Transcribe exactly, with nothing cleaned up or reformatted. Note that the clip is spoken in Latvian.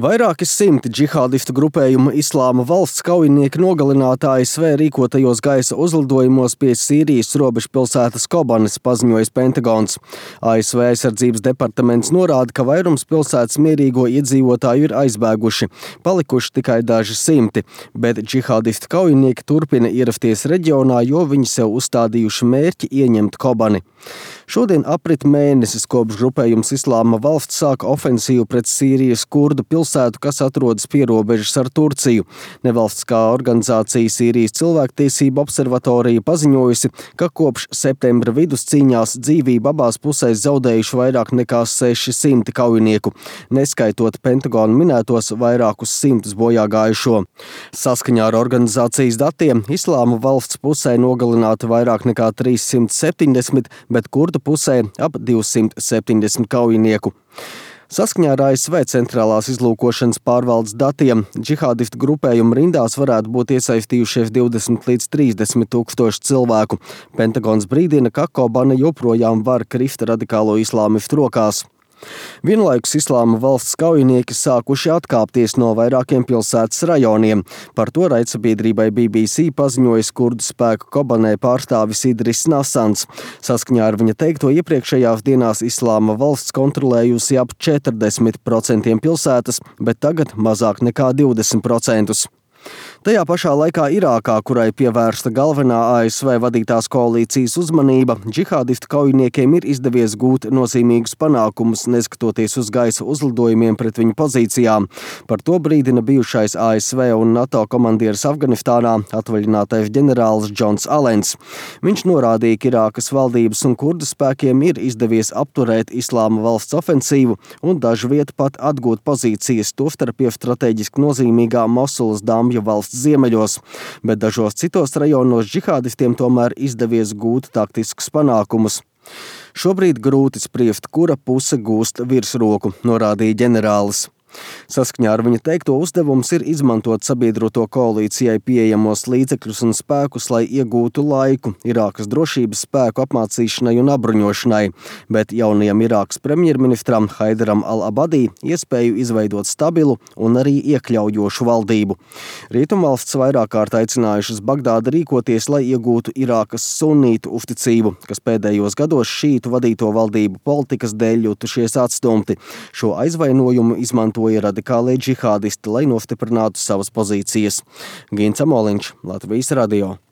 Vairāki simti džihādistu grupējumu Islāma valsts kaujinieki nogalināti A S V rīkotajos gaisa uzlidojumos pie Sīrijas robežpilsētas Kobanes, paziņojis Pentagons. A S V aizsardzības departaments norāda, ka vairums pilsētas mierīgo iedzīvotāju ir aizbēguši, palikuši tikai daži simti, bet džihādistu kaujinieki turpina ierasties reģionā, jo viņi sev uzstādījuši mērķi ieņemt Kobani. Šodien aprit mēnesis, kopš grupējums Islāma valsts sāka ofensīvu pret Sīrijas kurdu pilsētu, kas atrodas pie robežas ar Turciju. Nevalstiskā organizācija Sīrijas cilvēktiesību observatorija paziņojusi, ka kopš septembra vidus cīņās dzīvību abās pusēs zaudējuši vairāk nekā seši simti kaujinieku, neskaitot Pentagona minētos vairākus simtus bojāgājušo. Saskaņā ar organizācijas datiem Islāma valsts pusē nogalināti vairāk nekā trīs simti septiņdesmit, bet kurdu pusē ap divsimt septiņdesmit kaujinieku. Saskaņā ar A S V centrālās izlūkošanas pārvaldes datiem, džihādistu grupējumu rindās varētu būt iesaistījušies divdesmit līdz trīsdesmit tūkstoši cilvēku. Pentagons brīdina, ka Kobane joprojām var krist radikālo islāmistu rokās. Vienlaikus Islāma valsts kaujinieki sākuši atkāpties no vairākiem pilsētas rajoniem. Par to raidsabiedrībai B B C paziņojas kurdu spēku Kobanē pārstāvis Idris Nasans. Saskaņā ar viņa teikto iepriekšējās dienās Islāma valsts kontrolējusi ap četrdesmit procentiem pilsētas, bet tagad mazāk nekā divdesmit procentus. Tajā pašā laikā Irākā, kurai pievērsta galvenā A S V vadītās koalīcijas uzmanība, džihādistu kaujiniekiem ir izdevies gūt nozīmīgus panākumus, neskatoties uz gaisa uzlidojumiem pret viņu pozīcijām. Par to brīdina bijušais A S V un NATO komandieris Afganistānā, atvaļinātais ģenerālis Džons Alens. Viņš norādīja, ka Irākas valdības un kurdu spēkiem ir izdevies apturēt Islāma valsts ofensīvu un dažviet pat atgūt pozīcijas, tostarp jau strateģiski nozīmīgā Mosulas Damju valsts ziemeļos, bet dažos citos rajonos džihādistiem tomēr izdevies gūt taktiskus panākumus. Šobrīd grūti spriest, kura puse gūst virsroku, norādīja ģenerālis. Saskaņā ar viņa teikto uzdevums ir izmantot sabiedroto koalīcijai pieejamos līdzekļus un spēkus, lai iegūtu laiku Irākas drošības spēku apmācīšanai un apbruņošanai, bet jaunajam Irākas premjerministram Haidaram al-Abadī iespēju izveidot stabilu un arī iekļaujošu valdību. Rietumvalsts vairāk kārt aicinājušas Bagdādu rīkoties, lai iegūtu Irākas sunītu uzticību, kas pēdējos gados šītu vadīto valdību politikas dēļ jutušies atstumti. Šo aizvainojumu izmanto radikālie džihādisti, lai nostiprinātu savas pozīcijas. Gins Amoliņš, Latvijas radio.